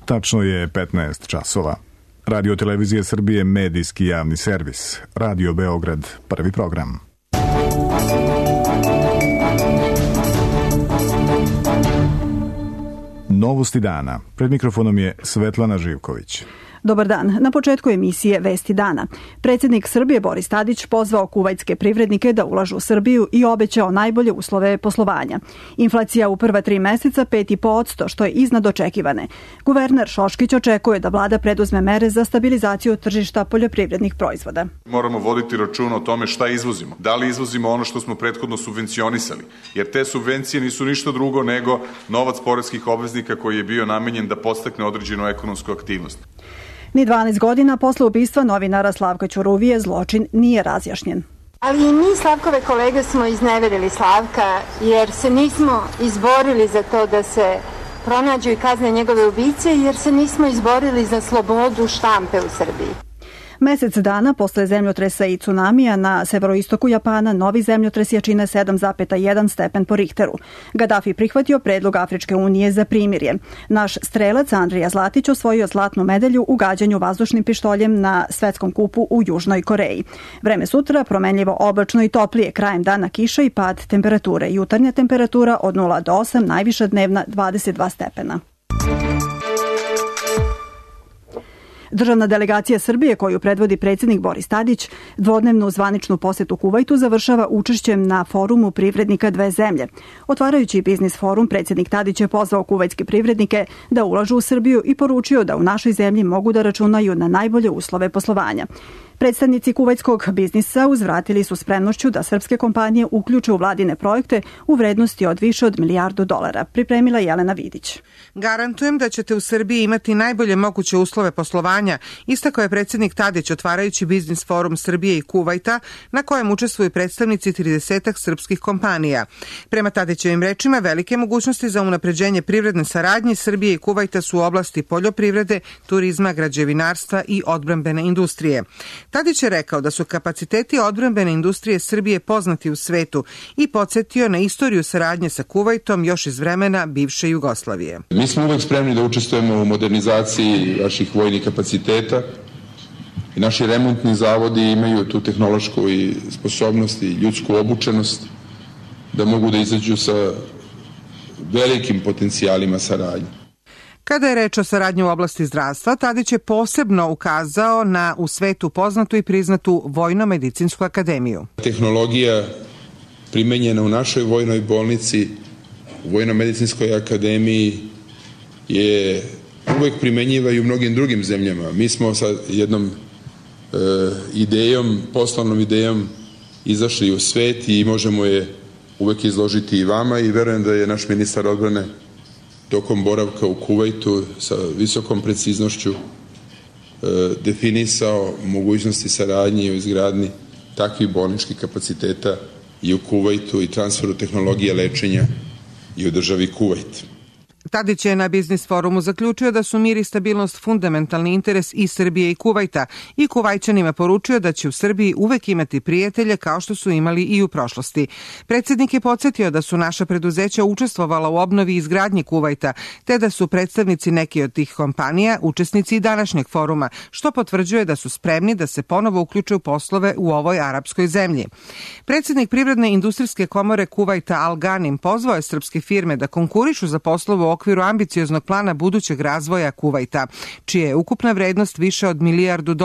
Tačno je 15 časova. Radio Televizije Srbije, medijski javni servis. Radio Beograd, prvi program. Novosti dana. Pred mikrofonom je Svetlana Živković. Dobar dan. Na početku emisije Vesti dana. Predsjednik Srbije Boris Tadić pozvao kuvajtske privrednike da ulažu u Srbiju i obećao najbolje uslove poslovanja. Inflacija u prva 3 meseca 5,5%, što je iznad očekivane. Guverner Šoškić očekuje da vlada preduzme mere za stabilizaciju tržišta poljoprivrednih proizvoda. Moramo voditi računa o tome šta izvozimo. Da li izvozimo ono što smo prethodno subvencionisali? Jer te subvencije nisu ništa drugo nego novac poreskih obveznika koji je bio namenjen da podstakne određenu ekonomsku aktivnost. Ni 12 godina posle ubistva novinara Slavka Ćuruvije zločin nije razjašnjen. Ali i mi, Slavkove kolege, smo izneverili Slavka jer se nismo izborili za to da se pronađu i kazne njegove ubice, jer se nismo izborili za slobodu štampe u Srbiji. Mesec dana posle zemljotresa i tsunamija na severoistoku Japana novi zemljotres jačine 7,1 stepen po Richteru. Gaddafi prihvatio predlog Afričke unije za primirje. Naš strelac Andrija Zlatić osvojio zlatnu medalju u gađanju vazdušnim pištoljem na svetskom kupu u Južnoj Koreji. Vreme sutra promenljivo oblačno i toplije, krajem dana kiša i pad temperature. Jutarnja temperatura od 0 do 8, najviša dnevna 22 stepena. Državna delegacija Srbije, koju predvodi predsjednik Boris Tadić, dvodnevnu zvaničnu posetu Kuvajtu završava učešćem na forumu privrednika dve zemlje. Otvarajući biznis forum, predsjednik Tadić je pozvao kuvajtske privrednike da ulažu u Srbiju i poručio da u našoj zemlji mogu da računaju na najbolje uslove poslovanja. Predstavnici kuvajtskog biznisa uzvratili su spremnošću da srpske kompanije uključe u vladine projekte u vrednosti od više od $1 milijardu. Pripremila Jelena Vidić. Garantujem da ćete u Srbiji imati najbolje moguće uslove poslovanja, istakao je predsjednik Tadić otvarajući biznis forum Srbije i Kuvajta, na kojem učestvuju predstavnici 30 srpskih kompanija. Prema Tadićevim rečima, velike mogućnosti za unapređenje privredne saradnje Srbije i Kuvajta su u oblasti poljoprivrede, turizma, građevinarstva i odbrambene industrije. Tadić je rekao da su kapaciteti odbrambene industrije Srbije poznati u svetu i podsjetio na istoriju saradnje sa Kuvajtom još iz vremena bivše Jugoslavije. Mi smo uvek spremni da učestvujemo u modernizaciji naših vojnih kapaciteta i naši remontni zavodi imaju tu tehnološku i sposobnost i ljudsku obučenost da mogu da izađu sa velikim potencijalima saradnje. Kada je reč o saradnji u oblasti zdravstva, Tadić je posebno ukazao na u svetu poznatu i priznatu Vojno-medicinsku akademiju. Tehnologija primenjena u našoj vojnoj bolnici, u Vojno-medicinskoj akademiji, je uvek primenjiva i u mnogim drugim zemljama. Mi smo sa jednom idejom, poslovnom idejom izašli u svet i možemo je uvek izložiti i vama i verujem da je naš ministar odbrane tokom boravka u Kuvajtu sa visokom preciznošću definisao mogućnosti saradnje u izgradnji takvih bolničkih kapaciteta i u Kuvajtu i transferu tehnologije lečenja i u državi Kuvajt. Tadić je na biznis forumu zaključio da su mir i stabilnost fundamentalni interes i Srbije i Kuvajta i Kuvajćanima poručio da će u Srbiji uvek imati prijatelje kao što su imali i u prošlosti. Predsjednik je podsjetio da su naša preduzeća učestvovala u obnovi i izgradnji Kuvajta, te da su predstavnici neke od tih kompanija učesnici i današnjeg foruma, što potvrđuje da su spremni da se ponovo uključe u poslove u ovoj arapskoj zemlji. Predsjednik Privredne industrijske komore Kuvajta Al Ganim pozvao je srpske firme da konkurišu za poslove u okviru ambicioznog plana budućeg razvoja Kuvajta, čija je ukupna vrednost više od $1 milijardu.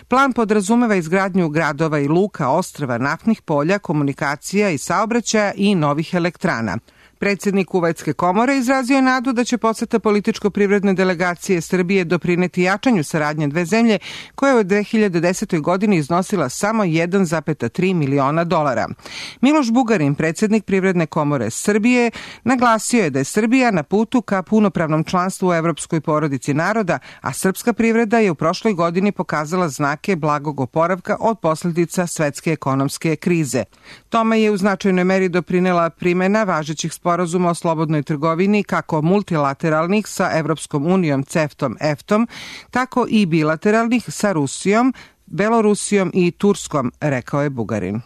Plan podrazumeva izgradnju gradova i luka, ostrva, naftnih polja, komunikacija i saobraćaja i novih elektrana. Predsjednik Kuvajtske komore izrazio je nadu da će poseta političko-privredne delegacije Srbije doprineti jačanju saradnje dve zemlje, koja je u 2010. godini iznosila samo $1,3 miliona. Miloš Bugarin, predsjednik Privredne komore Srbije, naglasio je da je Srbija na putu ka punopravnom članstvu u Evropskoj porodici naroda, a srpska privreda je u prošloj godini pokazala znake blagog oporavka od posljedica svetske ekonomske krize. Tome je u značajnoj meri doprinela primjena važećih sporazuma o slobodnoj trgovini, kako multilateralnih sa Evropskom unijom, CEFTA-om, EFTA-om, tako i bilateralnih sa Rusijom, Belorusijom i Turskom, rekao je Bugarin.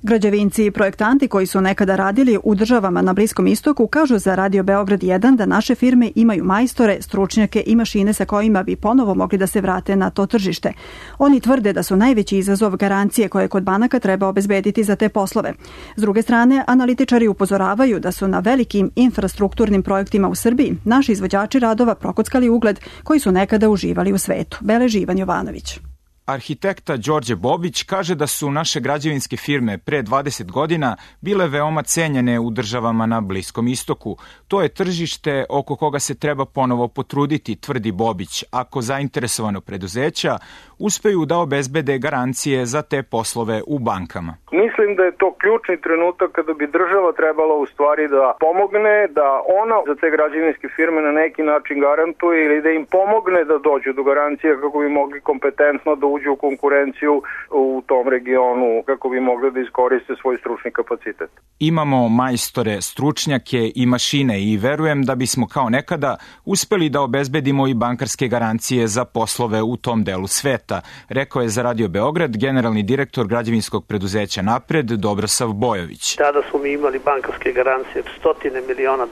Građevinci i projektanti koji su nekada radili u državama na Bliskom istoku kažu za Radio Beograd 1 da naše firme imaju majstore, stručnjake i mašine sa kojima bi ponovo mogli da se vrate na to tržište. Oni tvrde da su najveći izazov garancije koje kod banaka treba obezbediti za te poslove. S druge strane, analitičari upozoravaju da su na velikim infrastrukturnim projektima u Srbiji naši izvođači radova prokockali ugled koji su nekada uživali u svetu. Beleži Ivan Jovanović. Arhitekta Đorđe Bobić kaže da su naše građevinske firme pre 20 godina bile veoma cenjene u državama na Bliskom istoku. To je tržište oko koga se treba ponovo potruditi, tvrdi Bobić, ako zainteresovano preduzeća uspeju da obezbede garancije za te poslove u bankama. Mislim da je to ključni trenutak kada bi država trebala u stvari da pomogne, da ona za te građevinske firme na neki način garantuje ili da im pomogne da dođu do garancije kako bi mogli kompetentno da uđu u konkurenciju u tom regionu, kako bi mogli da iskoriste svoj stručni kapacitet. Imamo majstore, stručnjake i mašine i verujem da bismo kao nekada uspeli da obezbedimo i bankarske garancije za poslove u tom delu sveta, rekao je za Radio Beograd generalni direktor građevinskog preduzeća Napred Dobrosav Bojović. Tada smo mi imali bankarske garancije $100 miliona,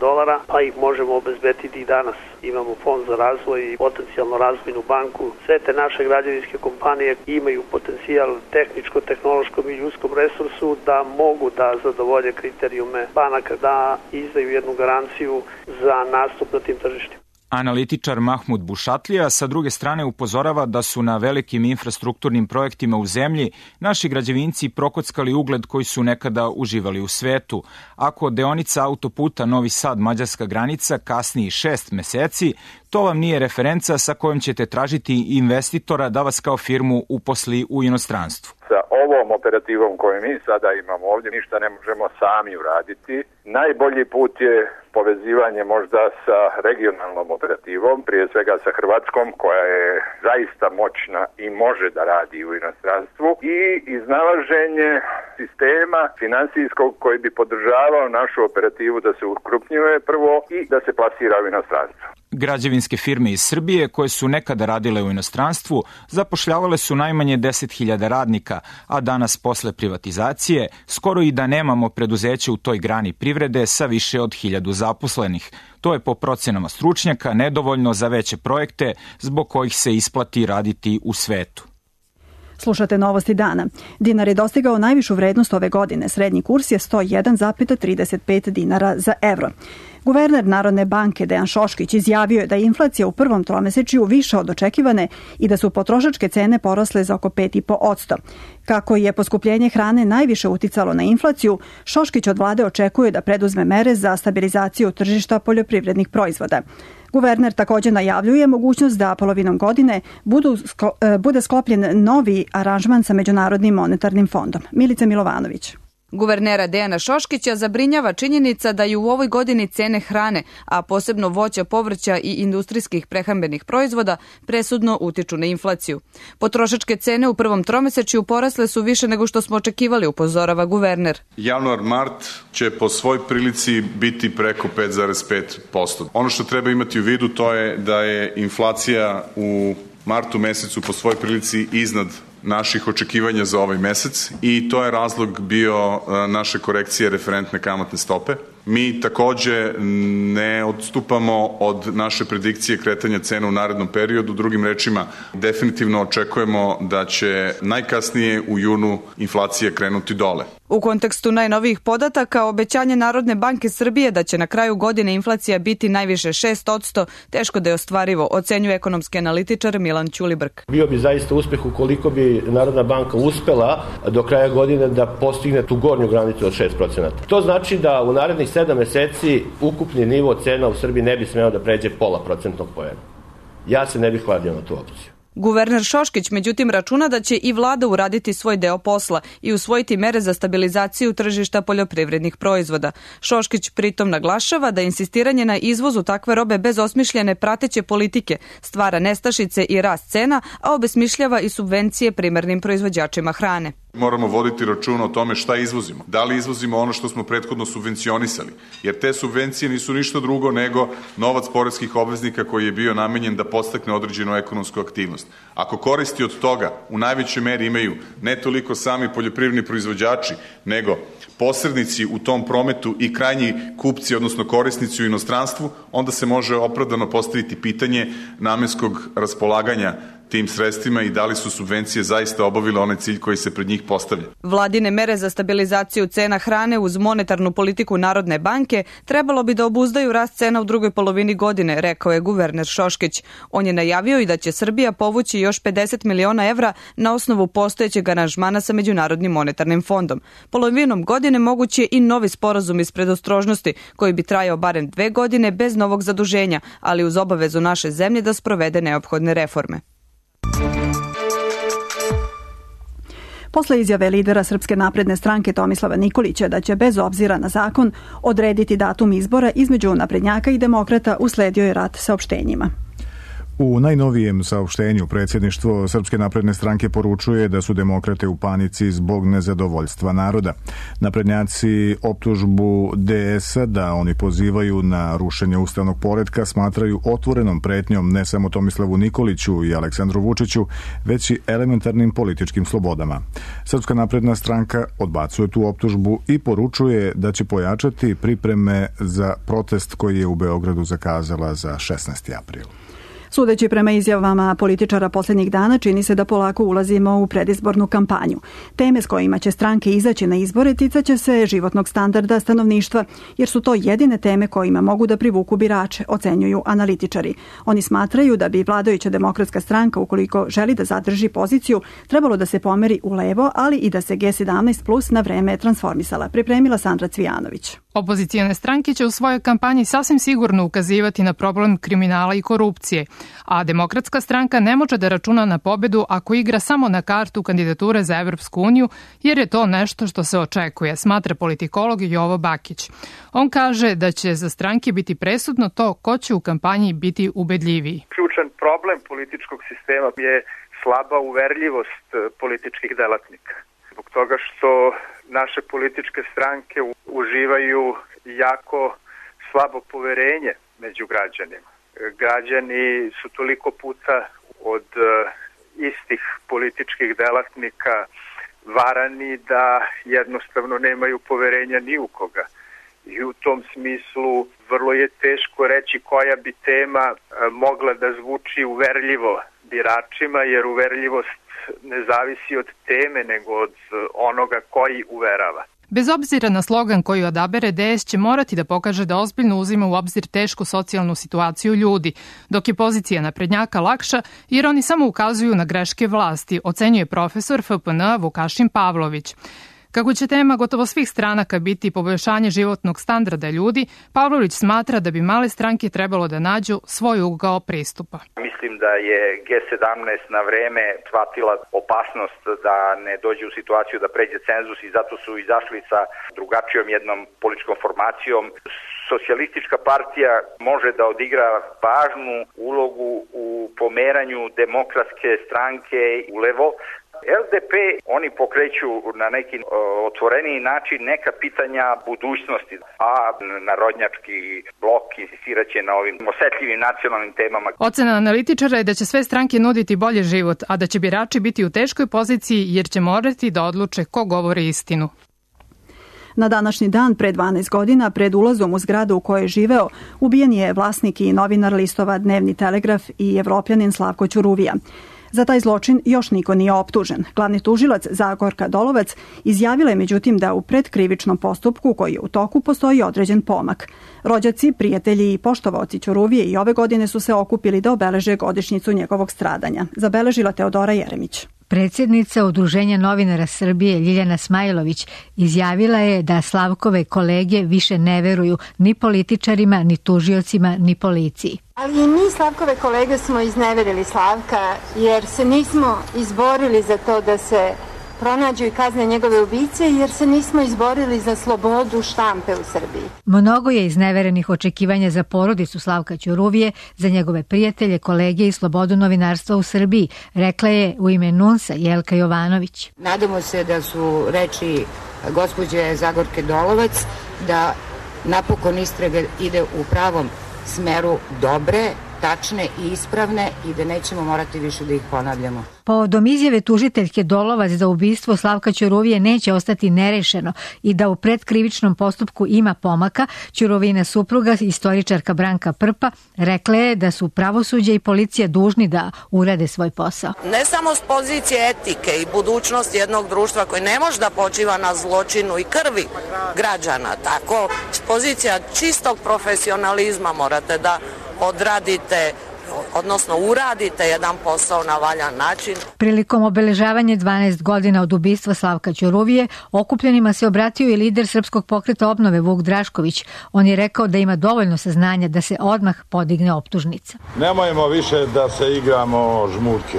pa ih možemo obezbediti i danas. Imamo fond za razvoj i potencijalno razvojnu banku. Sve te naše građevinske kompanije imaju potencijal tehničko-tehnološkom i ljudskom resursu da mogu da zadovolje kriterijume banaka, da izdaju jednu garanciju za nastup na tim tržištima. Analitičar Mahmud Bušatlija sa druge strane upozorava da su na velikim infrastrukturnim projektima u zemlji naši građevinci prokockali ugled koji su nekada uživali u svetu. Ako deonica autoputa Novi Sad-Mađarska granica kasni 6 meseci, to vam nije referenca sa kojom ćete tražiti investitora da vas kao firmu uposli u inostranstvu. Sa ovom operativom koju mi sada imamo ovdje ništa ne možemo sami uraditi. Najbolji put je povezivanje možda sa regionalnom operativom, prije svega sa Hrvatskom koja je zaista moćna i može da radi u inostranstvu i iznalaženje sistema finansijskog koji bi podržavao našu operativu da se ukrupnjuje prvo i da se plasira u inostranstvo. Građevinske firme iz Srbije koje su nekada radile u inostranstvu zapošljavale su najmanje 10.000 radnika, a danas posle privatizacije skoro i da nemamo preduzeće u toj grani privrede sa više od 1.000 zaposlenih. To je po procenama stručnjaka nedovoljno za veće projekte zbog kojih se isplati raditi u svetu. Slušate Novosti dana. Dinar je dostigao najvišu vrednost ove godine. Srednji kurs je 101,35 dinara za evro. Guverner Narodne banke Dejan Šoškić izjavio je da je inflacija u prvom tromesečju više od očekivane i da su potrošačke cene porasle za oko 5,5%. Kako je poskupljenje hrane najviše uticalo na inflaciju, Šoškić od vlade očekuje da preduzme mere za stabilizaciju tržišta poljoprivrednih proizvoda. Guverner također najavljuje mogućnost da polovinom godine bude sklopljen novi aranžman sa Međunarodnim monetarnim fondom. Milica Milovanović. Guvernera Dejana Šoškića zabrinjava činjenica da i u ovoj godini cene hrane, a posebno voća, povrća i industrijskih prehrambenih proizvoda, presudno utiču na inflaciju. Potrošačke cene u prvom tromesečju porasle su više nego što smo očekivali, upozorava guverner. Januar-mart će po svoj prilici biti preko 5,5%. Ono što treba imati u vidu to je da je inflacija u martu mesecu po svoj prilici iznad naših očekivanja za ovaj mesec i to je razlog bio naše korekcije referentne kamatne stope. Mi takođe ne odstupamo od naše predikcije kretanja cena u narednom periodu. Drugim rečima, definitivno očekujemo da će najkasnije u junu inflacija krenuti dole. U kontekstu najnovijih podataka, obećanje Narodne banke Srbije da će na kraju godine inflacija biti najviše 6%, teško da je ostvarivo, ocenjuje ekonomski analitičar Milan Ćulibrk. Bio bi zaista uspeh ukoliko bi Narodna banka uspela do kraja godine da postigne tu gornju granicu od 6%. To znači da u narednih 7 meseci ukupni nivo cena u Srbiji ne bi smeo da pređe 0,5% poena. Ja se ne bih kladio na tu opciju. Guverner Šoškić međutim računa da će i vlada uraditi svoj deo posla i usvojiti mere za stabilizaciju tržišta poljoprivrednih proizvoda. Šoškić pritom naglašava da insistiranje na izvozu takve robe bez osmišljene prateće politike stvara nestašice i rast cena, a obesmišljava i subvencije primarnim proizvođačima hrane. Moramo voditi računa o tome šta izvozimo. Da li izvozimo ono što smo prethodno subvencionisali? Jer te subvencije nisu ništa drugo nego novac poreskih obveznika koji je bio namenjen da podstakne određenu ekonomsku aktivnost. Ako koristi od toga u najvećoj meri imaju ne toliko sami poljoprivredni proizvođači, nego posrednici u tom prometu i krajnji kupci, odnosno korisnici u inostranstvu, onda se može opravdano postaviti pitanje namenskog raspolaganja tim sredstvima i da li su subvencije zaista obavile onaj cilj koji se pred njih postavlja. Vladine mere za stabilizaciju cena hrane uz monetarnu politiku Narodne banke trebalo bi da obuzdaju rast cena u drugoj polovini godine, rekao je guverner Šoškić. On je najavio i da će Srbija povući još 50 miliona evra na osnovu postojećeg aranžmana sa Međunarodnim monetarnim fondom. Polovinom godine moguć je i novi sporazum iz predostrožnosti koji bi trajao barem 2 godine bez novog zaduženja, ali uz obavezu naše zemlje da sprovede neophodne reforme. Posle izjave lidera Srpske napredne stranke Tomislava Nikolića da će bez obzira na zakon odrediti datum izbora između naprednjaka i demokrata, usledio je rat saopštenjima. U najnovijem saopštenju predsjedništvo Srpske napredne stranke poručuje da su demokrate u panici zbog nezadovoljstva naroda. Naprednjaci optužbu DS-a da oni pozivaju na rušenje ustavnog poretka smatraju otvorenom pretnjom ne samo Tomislavu Nikoliću i Aleksandru Vučiću, već i elementarnim političkim slobodama. Srpska napredna stranka odbacuje tu optužbu i poručuje da će pojačati pripreme za protest koji je u Beogradu zakazala za 16. april. Sudeći prema izjavama političara posljednjih dana, čini se da polako ulazimo u predizbornu kampanju. Teme s kojima će stranke izaći na izbore ticaće se životnog standarda stanovništva, jer su to jedine teme kojima mogu da privuku birače, ocenjuju analitičari. Oni smatraju da bi vladajuća demokratska stranka, ukoliko želi da zadrži poziciju, trebalo da se pomeri u levo, ali i da se G17 plus na vreme transformisala, pripremila Sandra Cvijanović. Opozicijone stranke će u svojoj kampanji sasvim sigurno ukazivati na problem kriminala i korupcije, a Demokratska stranka ne može da računa na pobedu ako igra samo na kartu kandidature za Evropsku uniju, jer je to nešto što se očekuje, smatra politikolog Jovo Bakić. On kaže da će za stranke biti presudno to ko će u kampanji biti ubedljiviji. Ključan problem političkog sistema je slaba uverljivost političkih delatnika. Zbog toga što naše političke stranke uživaju jako slabo poverenje među građanima. Građani su toliko puta od istih političkih delatnika varani da jednostavno nemaju poverenja ni u koga. I u tom smislu vrlo je teško reći koja bi tema mogla da zvuči uverljivo biračima, jer uverljivost ne zavisi od teme, nego od onoga koji uverava. Bez obzira na slogan koji odabere, DS će morati da pokaže da ozbiljno uzima u obzir tešku socijalnu situaciju ljudi, dok je pozicija naprednjaka lakša jer oni samo ukazuju na greške vlasti, ocenjuje profesor FPN Vukašin Pavlović. Kako će tema gotovo svih stranaka biti poboljšanje životnog standarda ljudi, Pavlović smatra da bi male stranke trebalo da nađu svoj ugao pristupa. Mislim da je G17 na vreme shvatila opasnost da ne dođe u situaciju da pređe cenzus i zato su izašli sa drugačijom jednom političkom formacijom. Socijalistička partija može da odigra važnu ulogu u pomeranju demokratske stranke u levo. LDP, oni pokreću na neki otvoreniji način neka pitanja budućnosti, a narodnjački blok insistiraće na ovim osetljivim nacionalnim temama. Ocena analitičara je da će sve stranke nuditi bolji život, a da će birači biti u teškoj poziciji jer će morati da odluče ko govori istinu. Na današnji dan, pre 12 godina, pred ulazom u zgradu u kojoj je živeo, ubijen je vlasnik i novinar listova Dnevni Telegraf i Evropljanin Slavko Ćuruvija. Za taj zločin još niko nije optužen. Glavni tužilac Zagorka Dolovac izjavila je međutim da u predkrivičnom postupku koji je u toku postoji određen pomak. Rođaci, prijatelji i poštovaoci Ćuruvije i ove godine su se okupili da obeleže godišnjicu njegovog stradanja. Zabeležila Teodora Jeremić. Predsjednica Udruženja novinara Srbije Ljiljana Smajlović izjavila je da Slavkove kolege više ne veruju ni političarima, ni tužiocima, ni policiji. Ali i mi Slavkove kolege smo izneverili Slavka jer se nismo izborili za to da se pronađu i kazne njegove ubice, jer se nismo izborili za slobodu štampe u Srbiji. Mnogo je izneverenih očekivanja za porodicu Slavka Ćuruvije, za njegove prijatelje, kolege i slobodu novinarstva u Srbiji, rekla je u ime NUNS-a Jelka Jovanović. Nadamo se da su reči gospođe Zagorke Dolovac da napokon istraga ide u pravom smeru, dobre, tačne i ispravne, i da nećemo morati više da ih ponavljamo. Povodom izjave tužiteljke Dolovac da ubistvo Slavka Ćuruvije neće ostati nerešeno i da u predkrivičnom postupku ima pomaka, Ćuruvina supruga, istoričarka Branka Prpa, rekla je da su pravosuđe i policija dužni da urade svoj posao. Ne samo s pozicije etike i budućnosti jednog društva koji ne može da počiva na zločinu i krvi građana, tako s pozicija čistog profesionalizma morate da odradite, odnosno uradite jedan posao na valjan način. Prilikom obeležavanja 12 godina od ubistva Slavka Ćuruvije, okupljenima se obratio i lider Srpskog pokreta obnove Vuk Drašković. On je rekao da ima dovoljno saznanja da se odmah podigne optužnica. Nemojmo više da se igramo žmurke.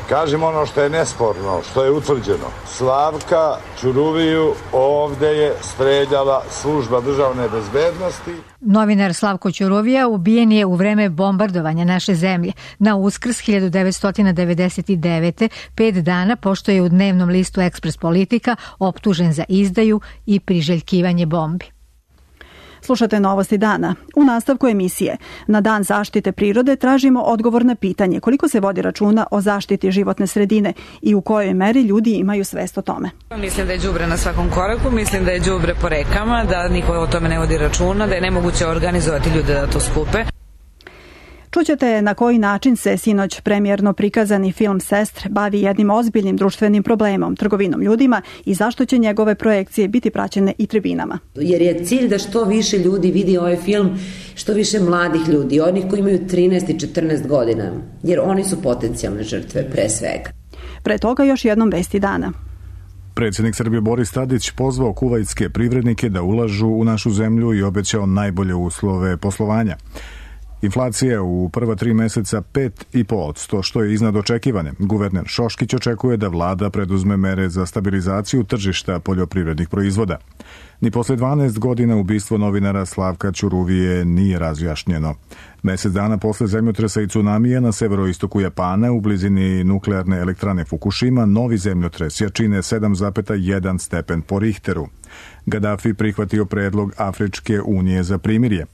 Kažemo ono što je nesporno, što je utvrđeno. Slavka Ćuruviju ovde je streljala služba državne bezbednosti. Novinar Slavko Ćuruvija ubijen je u vreme bombardovanja naše zemlje na Uskrs 1999. 5 dana pošto je u dnevnom listu Ekspres Politika optužen za izdaju i priželjkivanje bombi. Slušate Novosti dana. U nastavku emisije na Dan zaštite prirode tražimo odgovor na pitanje koliko se vodi računa o zaštiti životne sredine i u kojoj meri ljudi imaju svest o tome. Mislim da je đubre na svakom koraku, mislim da je đubre po rekama, da niko o tome ne vodi računa, da je nemoguće organizovati ljude da to skupe. Čućete na koji način se sinoć premijerno prikazani film Sestre bavi jednim ozbiljnim društvenim problemom, trgovinom ljudima, i zašto će njegove projekcije biti praćene i tribinama. Jer je cilj da što više ljudi vidi ovaj film, što više mladih ljudi, onih koji imaju 13 i 14 godina, jer oni su potencijalne žrtve pre svega. Pre toga još jednom vesti dana. Predsjednik Srbije Boris Tadić pozvao kuvajtske privrednike da ulažu u našu zemlju i obećao najbolje uslove poslovanja. Inflacija u prva 3 meseca 5,5%, što je iznad očekivane. Guverner Šoškić očekuje da vlada preduzme mere za stabilizaciju tržišta poljoprivrednih proizvoda. Ni posle 12 godina ubistvo novinara Slavka Ćuruvije nije razjašnjeno. Mesec dana posle zemljotresa i tsunamija na severoistoku Japana u blizini nuklearne elektrane Fukushima, novi zemljotres jačine 7,1 stepen po Richteru. Gadafi prihvatio predlog Afričke unije za primirje.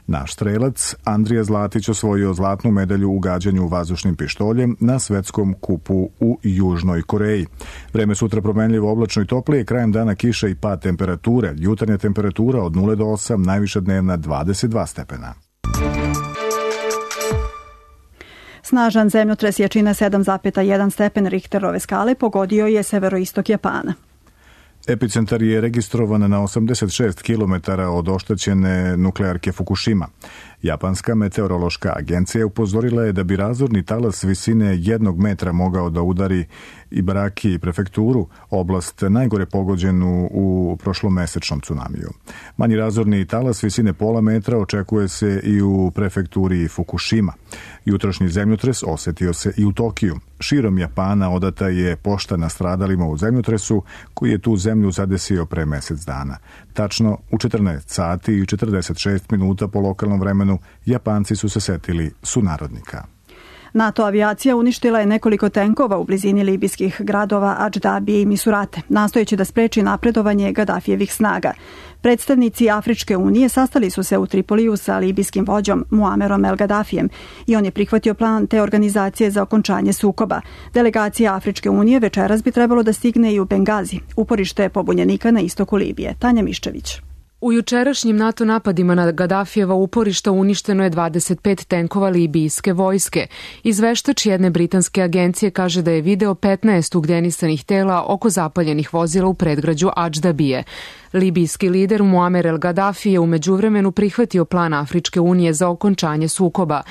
Naš strelac Andrija Zlatić osvojio zlatnu medalju u gađanju vazdušnim pištoljem na svetskom kupu u Južnoj Koreji. Vreme sutra promenljivo, oblačno i toplije, krajem dana kiša i pad temperature. Jutarnja temperatura od 0 do 8, najviša dnevna 22 stepena. Snažan zemljotres jačine 7,1 stepen Richterove skale pogodio je severoistok Japana. Epicentar je registrovan na 86 km od oštećene nuklearke Fukushima. Japanska meteorološka agencija upozorila je da bi razorni talas visine 1 metra mogao da udari Ibaraki prefekturu, oblast najgore pogođenu u prošlomesečnom tsunamiju. Manji razorni talas visine pola metra očekuje se i u prefekturi Fukushima. Jutrošnji zemljotres osetio se i u Tokiju. Širom Japana odata je pošta nastradalima u zemljotresu koji je tu zemlju zadesio pre mesec dana. Tačno u 14 sati i 46 minuta po lokalnom vremenu Japanci su se setili sunarodnika. NATO avijacija uništila je nekoliko tenkova u blizini libijskih gradova Adždabije i Misurate, nastojeći da spreči napredovanje Gadafijevih snaga. Predstavnici Afričke unije sastali su se u Tripoliju sa libijskim vođom Muamerom El Gadafijem i on je prihvatio plan te organizacije za okončanje sukoba. Delegacija Afričke unije večeras bi trebalo da stigne i u Bengazi, uporište pobunjenika na istoku Libije. Tanja Miščević. U jučerašnjim NATO napadima na Gadafijeva uporišta uništeno je 25 tenkova libijske vojske. Izveštač jedne britanske agencije kaže da je video 15 ugljenisanih tela oko zapaljenih vozila u predgrađu Adždabije. Libijski lider Muamer El Gadafi je u međuvremenu prihvatio plan Afričke unije za okončanje sukoba.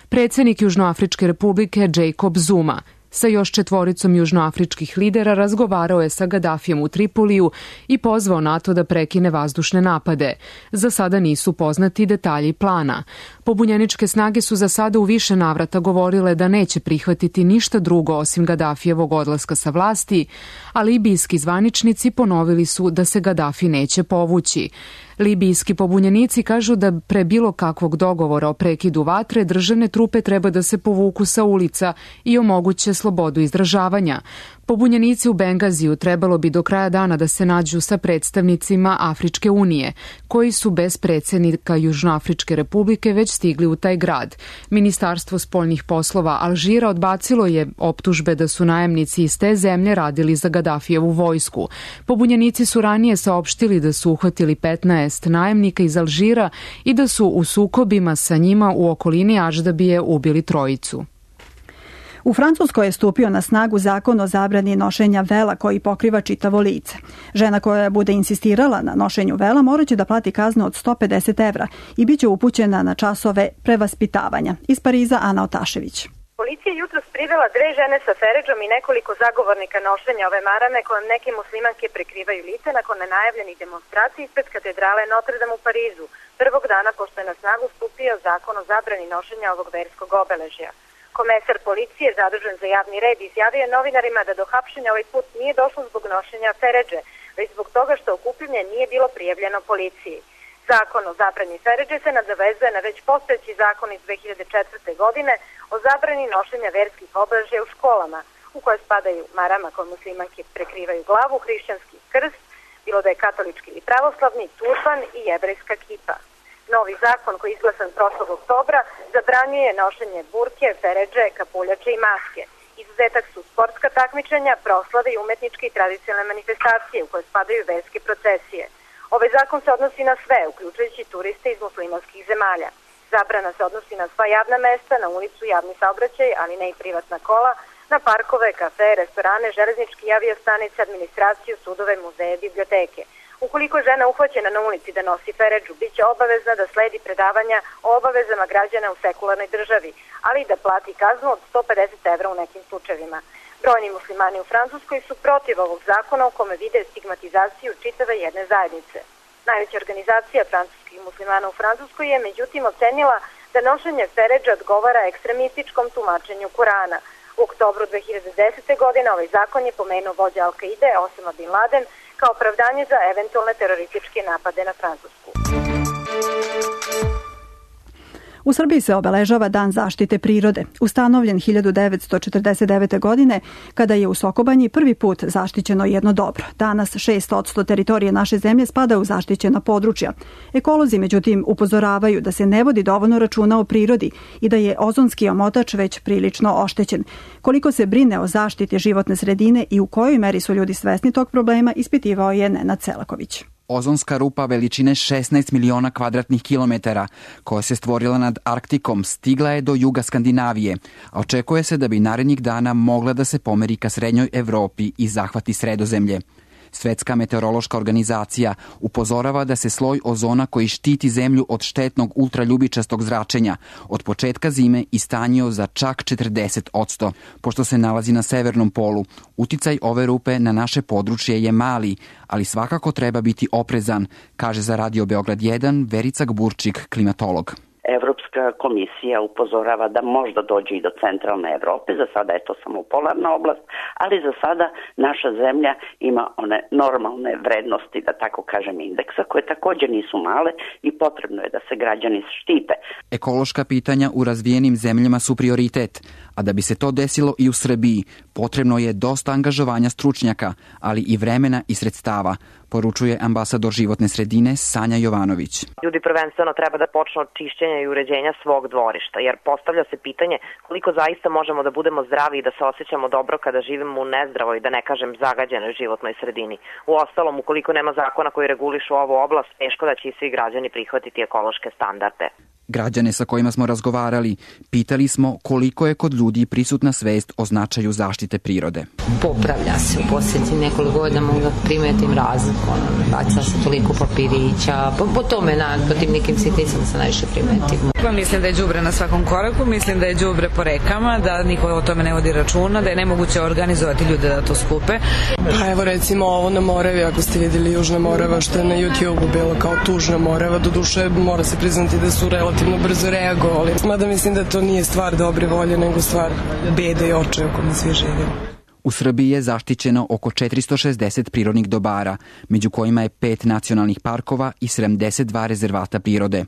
Predsednik Južnoafričke republike Jacob Zuma Sa još 4 južnoafričkih lidera razgovarao je sa Gadafijem u Tripoliju i pozvao NATO da prekine vazdušne napade. Za sada nisu poznati detalji plana. Pobunjeničke snage su za sada u više navrata govorile da neće prihvatiti ništa drugo osim Gadafijevog odlaska sa vlasti, a libijski zvaničnici ponovili su da se Gadafi neće povući. Libijski pobunjenici kažu da pre bilo kakvog dogovora o prekidu vatre državne trupe treba da se povuku sa ulica i omoguće slobodu izražavanja. Pobunjenici u Bengaziju trebalo bi do kraja dana da se nađu sa predstavnicima Afričke unije, koji su bez predsjednika Južnoafričke republike već stigli u taj grad. Ministarstvo spoljnih poslova Alžira odbacilo je optužbe da su najemnici iz te zemlje radili za Gadafijevu vojsku. Pobunjenici su ranije saopštili da su uhvatili 15 najemnika iz Alžira i da su u sukobima sa njima u okolini Aždabije ubili 3. U Francuskoj je stupio na snagu zakon o zabrani nošenja vela koji pokriva čitavo lice. Žena koja bude insistirala na nošenju vela moraće da plati kaznu od 150 evra i bit će upućena na časove prevaspitavanja. Iz Pariza Ana Otašević. Policija je jutros privela 2 žene sa feredžom i nekoliko zagovornika nošenja ove marame kojom neke muslimanke prekrivaju lice nakon nenajavljenih demonstracija ispred katedrale Notre Dame u Parizu, prvog dana pošto je na snagu stupio zakon o zabrani nošenja ovog verskog obeležja. Komesar policije zadužen za javni red izjavio je novinarima da do hapšenja ovaj put nije došlo zbog nošenja feredže, već zbog toga što okupljanje nije bilo prijavljeno policiji. Zakon o zabrani feredže se nadovezuje na već postojeći zakon iz 2004. godine o zabrani nošenja verskih obeležja u školama, u koje spadaju marama koje muslimanke prekrivaju glavu, hrišćanski krst, bilo da je katolički ili pravoslavni, turban i jevrejska kipa. Novi zakon koji je izglasan prošlog oktobra zabranjuje nošenje burke, feredže, kapuljače i maske. Izuzetak su sportska takmičenja, proslave i umetničke i tradicionalne manifestacije u koje spadaju verske procesije. Ovaj zakon se odnosi na sve, uključujući turiste iz muslimanskih zemalja. Zabrana se odnosi na sva javna mesta, na ulicu, javni saobraćaj, ali ne i privatna kola, na parkove, kafe, restorane, železničke i aviostanice, administraciju, sudove, muzeje, biblioteke. Ukoliko je žena uhvaćena na ulici da nosi feredžu, bit će obavezna da sledi predavanja o obavezama građana u sekularnoj državi, ali i da plati kaznu od 150 evra u nekim slučajevima. Brojni muslimani u Francuskoj su protiv ovog zakona u kome vide stigmatizaciju čitave jedne zajednice. Najveća organizacija francuskih muslimana u Francuskoj je međutim ocenila da nošenje feredža odgovara ekstremističkom tumačenju Kurana. U oktobru 2010. godine ovaj zakon je pomenuo vođa Al-Kaide Osama Bin Laden kao opravdanje za eventualne terorističke napade na Francusku. U Srbiji se obeležava Dan zaštite prirode, ustanovljen 1949. godine, kada je u Sokobanji prvi put zaštićeno jedno dobro. Danas 6% teritorije naše zemlje spada u zaštićena područja. Ekolozi, međutim, upozoravaju da se ne vodi dovoljno računa o prirodi i da je ozonski omotač već prilično oštećen. Koliko se brine o zaštiti životne sredine i u kojoj meri su ljudi svesni tog problema, ispitivao je Nenad Selaković. Ozonska rupa veličine 16 miliona kvadratnih kilometara, koja se stvorila nad Arktikom, stigla je do juga Skandinavije, a očekuje se da bi narednih dana mogla da se pomeri ka srednjoj Evropi i zahvati Sredozemlje. Svetska meteorološka organizacija upozorava da se sloj ozona koji štiti zemlju od štetnog ultraljubičastog zračenja od početka zime istanjio za čak 40%. Pošto se nalazi na severnom polu, uticaj ove rupe na naše područje je mali, ali svakako treba biti oprezan, kaže za Radio Beograd 1 Verica Gburčik, klimatolog. Evropska komisija upozorava da možda dođe i do centralne Evrope, za sada je to samo polarna oblast, ali za sada naša zemlja ima one normalne vrednosti, da tako kažem, indeksa, koje također nisu male i potrebno je da se građani štite. Ekološka pitanja u razvijenim zemljama su prioritet, a da bi se to desilo i u Srbiji, potrebno je dosta angažovanja stručnjaka, ali i vremena i sredstava, poručuje ambasador životne sredine Sanja Jovanović. Ljudi prvenstveno treba da počnu od čišćenja i uređenja svog dvorišta, jer postavlja se pitanje koliko zaista možemo da budemo zdravi i da se osjećamo dobro kada živimo u nezdravoj, da ne kažem zagađenoj životnoj sredini. Uostalom, ukoliko nema zakona koji regulišu ovu oblast, teško da će i svi građani prihvatiti ekološke standarde. Građane sa kojima smo razgovarali, pitali smo koliko je kod ljudi prisutna svest o značaju zaštite prirode. Popravlja se u posljednjih nekoliko godina, mogu da primetim razliku, baca se toliko papirića, po tome, po tim nekim sitnicama se najviše primetim. Pa mislim da je đubre na svakom koraku, mislim da je đubre po rekama, da niko o tome ne vodi računa, da je nemoguće organizovati ljude da to skupe. Pa evo recimo ovo na Moravi, ako ste vidjeli Južna Morava, što je na YouTube-u bilo kao tužna Morava, doduše mora se priznati da su relativno brzo reagovali. Mada mislim da to nije stvar dobre volje, nego stvar bede i očaja u kome svi živimo. U Srbiji je zaštićeno oko 460 prirodnih dobara, među kojima je 5 nacionalnih parkova i 72 rezervata prirode.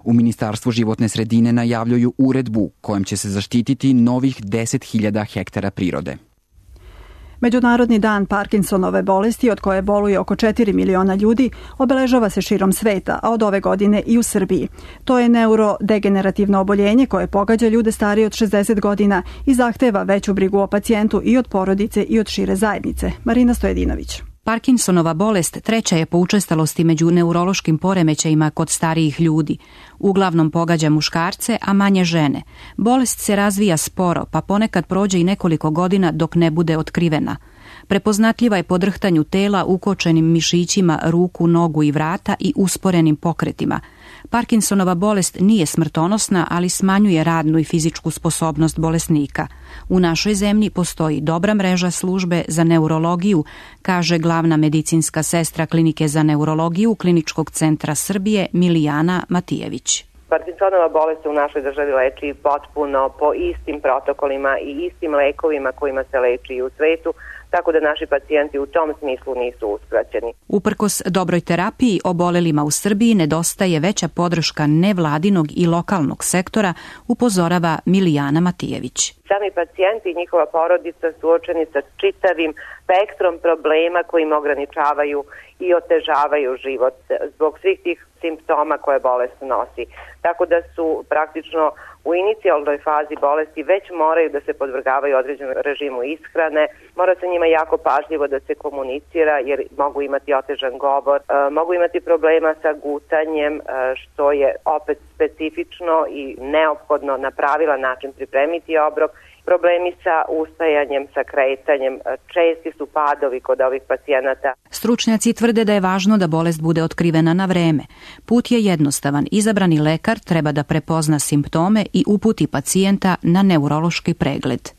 U Ministarstvu životne sredine najavljuju uredbu kojom će se zaštititi novih 10.000 hektara prirode. Međunarodni dan Parkinsonove bolesti, od koje boluje oko 4 miliona ljudi, obeležava se širom sveta, a od ove godine i u Srbiji. To je neurodegenerativno oboljenje koje pogađa ljude starije od 60 godina i zahteva veću brigu o pacijentu i od porodice i od šire zajednice. Marina Stojedinović. Parkinsonova bolest treća je po učestalosti među neurološkim poremećajima kod starijih ljudi. Uglavnom pogađa muškarce, a manje žene. Bolest se razvija sporo, pa ponekad prođe i nekoliko godina dok ne bude otkrivena. Prepoznatljiva je po drhtanju tela, ukočenim mišićima ruku, nogu i vrata i usporenim pokretima. Parkinsonova bolest nije smrtonosna, ali smanjuje radnu i fizičku sposobnost bolesnika. U našoj zemlji postoji dobra mreža službe za neurologiju, kaže glavna medicinska sestra Klinike za neurologiju Kliničkog centra Srbije Milijana Matijević. Parkinsonova bolest se u našoj državi leči potpuno po istim protokolima i istim lekovima kojima se leči i u svetu, tako da naši pacijenti u tom smislu nisu uskraćeni. Uprkos dobroj terapiji, obolelima u Srbiji nedostaje veća podrška nevladinog i lokalnog sektora, upozorava Milijana Matijević. Sami pacijenti i njihova porodica suočeni sa čitavim spektrom problema koji im ograničavaju i otežavaju život zbog svih tih simptoma koje bolest nosi. Tako da su praktično u inicijalnoj fazi bolesti već moraju da se podvrgavaju određenom režimu ishrane, mora se njima jako pažljivo da se komunicira jer mogu imati otežan govor, mogu imati problema sa gutanjem, što je opet specifično i neophodno na pravilan način pripremiti obrok. Problemi sa ustajanjem, sa kretanjem, česti su padovi kod ovih pacijenata. Stručnjaci tvrde da je važno da bolest bude otkrivena na vreme. Put je jednostavan. Izabrani lekar treba da prepozna simptome i uputi pacijenta na neurološki pregled.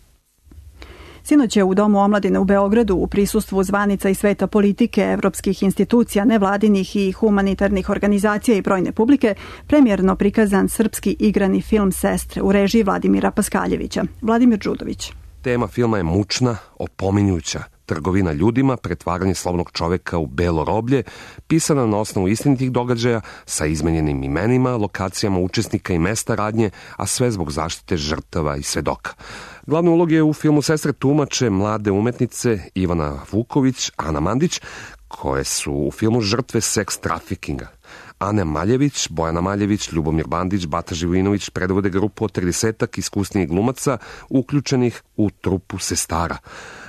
Sinoć je u Domu omladine u Beogradu u prisustvu zvanica i sveta politike, evropskih institucija, nevladinih i humanitarnih organizacija i brojne publike premijerno prikazan srpski igrani film Sestre u režiji Vladimira Paskaljevića. Vladimir Đudović. Tema filma je mučna, opominjuća. Trgovina ljudima, pretvaranje slobodnog čoveka u belo roblje, pisana na osnovu istinitih događaja sa izmenjenim imenima, lokacijama učesnika i mesta radnje, a sve zbog zaštite žrtava i svedoka. Glavne uloge u filmu Sestre tumače mlade umetnice Ivana Vuković, Ana Mandić, koje su u filmu žrtve seks trafikinga. Ane Maljević, Bojana Maljević, Ljubomir Bandić, Bata Živojinović predvode grupu od 30 iskusnijih glumaca uključenih u trupu Sestara.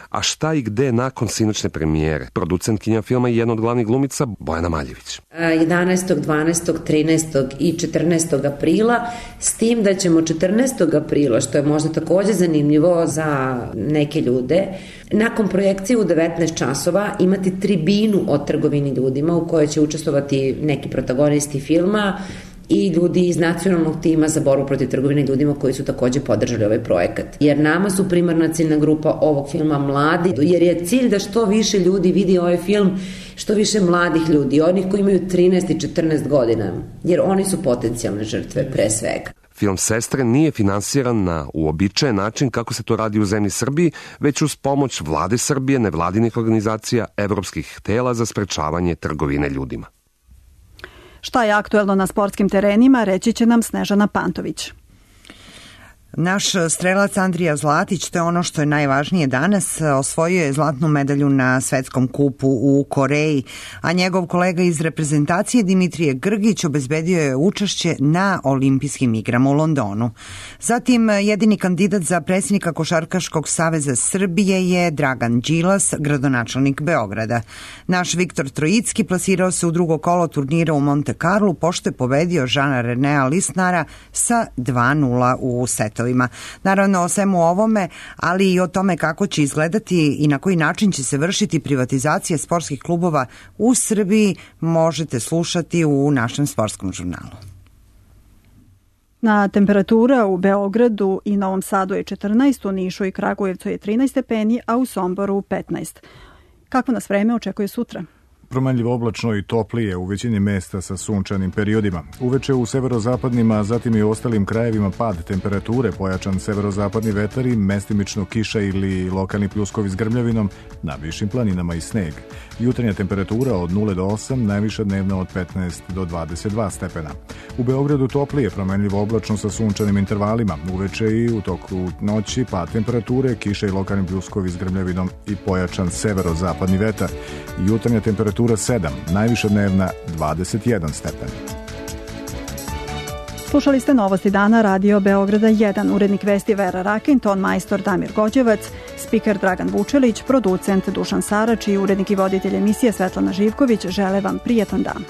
A šta i gde nakon sinoćne premijere? Producentkinja filma i jedna od glavnih glumica Bojana Maljević. 11., 12., 13. i 14. aprila, s tim da ćemo 14. aprila, što je možda takođe zanimljivo za neke ljude, nakon projekcije u 19 časova imati tribinu o trgovini ljudima u kojoj će učestvovati neki protagonisti filma i ljudi iz nacionalnog tima za borbu protiv trgovine ljudima koji su takođe podržali ovaj projekat. Jer nama su primarna ciljna grupa ovog filma mladi, jer je cilj da što više ljudi vidi ovaj film, što više mladih ljudi, onih koji imaju 13 i 14 godina, jer oni su potencijalne žrtve pre svega. Film Sestre nije finansiran na uobičajen način kako se to radi u zemlji Srbiji, već uz pomoć vlade Srbije, nevladinih organizacija, evropskih tela za sprečavanje trgovine ljudima. Šta je aktuelno na sportskim terenima, reći će nam Snežana Pantović. Naš strelac Andrija Zlatić, to je ono što je najvažnije danas, osvojio je zlatnu medalju na svetskom kupu u Koreji, a njegov kolega iz reprezentacije Dimitrije Grgić obezbedio je učešće na olimpijskim igrama u Londonu. Zatim, jedini kandidat za predsjednika Košarkaškog saveza Srbije je Dragan Đilas, gradonačelnik Beograda. Naš Viktor Trojicki plasirao se u drugo kolo turnira u Monte Carlu, pošto je pobedio Žana Renea Lisnara sa 2:0 u setovima. Naravno, o svemu ovome, ali i o tome kako će izgledati i na koji način će se vršiti privatizacija sportskih klubova u Srbiji možete slušati u našem sportskom žurnalu. Na temperatura u Beogradu i Novom Sadu je 14, u Nišu i Kragujevcu je 13 stepeni, a u Somboru 15. Kako nas vreme očekuje sutra? Promenljivo oblačno i toplije u većini mesta sa sunčanim periodima. Uveče u severozapadnim, a zatim i u ostalim krajevima pad temperature, pojačan severozapadni vetar i mestimično kiša ili lokalni pljuskovi s grmljavinom, na višim planinama i sneg. Jutarnja temperatura od 0 do 8, najviša dnevna od 15 do 22 stepena. U Beogradu toplije, promenljivo oblačno sa sunčanim intervalima. Uveče i u toku noći pad temperature, kiša i lokalni pljuskovi s grmljavinom i pojačan severozapadni vetar. Jutarnja temperatura 7, najviša dnevna 21 stepen. Slušali ste Novosti dana Radio Beograda 1, urednik vesti Vera Rakin, ton majstor Damir Gođevac, spiker Dragan Vučelić, producent Dušan Sarač i urednik i voditelj emisije Svetlana Živković žele vam prijatan dan.